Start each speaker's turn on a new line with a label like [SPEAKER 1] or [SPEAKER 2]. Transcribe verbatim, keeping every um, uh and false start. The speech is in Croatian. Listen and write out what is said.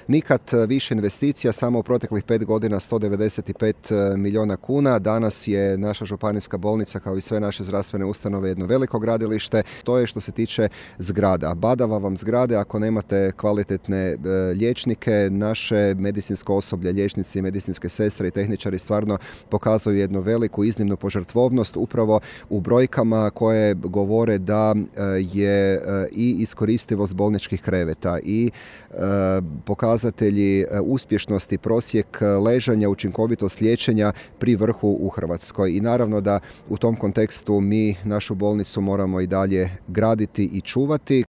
[SPEAKER 1] Nikad više investicija, samo u proteklih pet godina sto devedeset pet milijuna kuna. Danas je naša županijska bolnica, kao i sve naše zdravstvene ustanove, jedno veliko gradilište. To je što se tiče zgrada. Badava vam zgrade ako nemate kvalitetne liječnike. Naše medicinsko osoblje, liječnici, medicinske sestre i tehničari stvarno pokazuju jednu veliku, iznimnu požrtvovnost upravo u brojkama koje govore da je i iskoristivost bolničkih kreveta i pokazatelji uspješnosti, prosjek ležanja, učinkovitost liječenja pri vrhu u Hrvatskoj. I naravno da u tom kontekstu mi našu bolnicu moramo i dalje graditi i čuvati.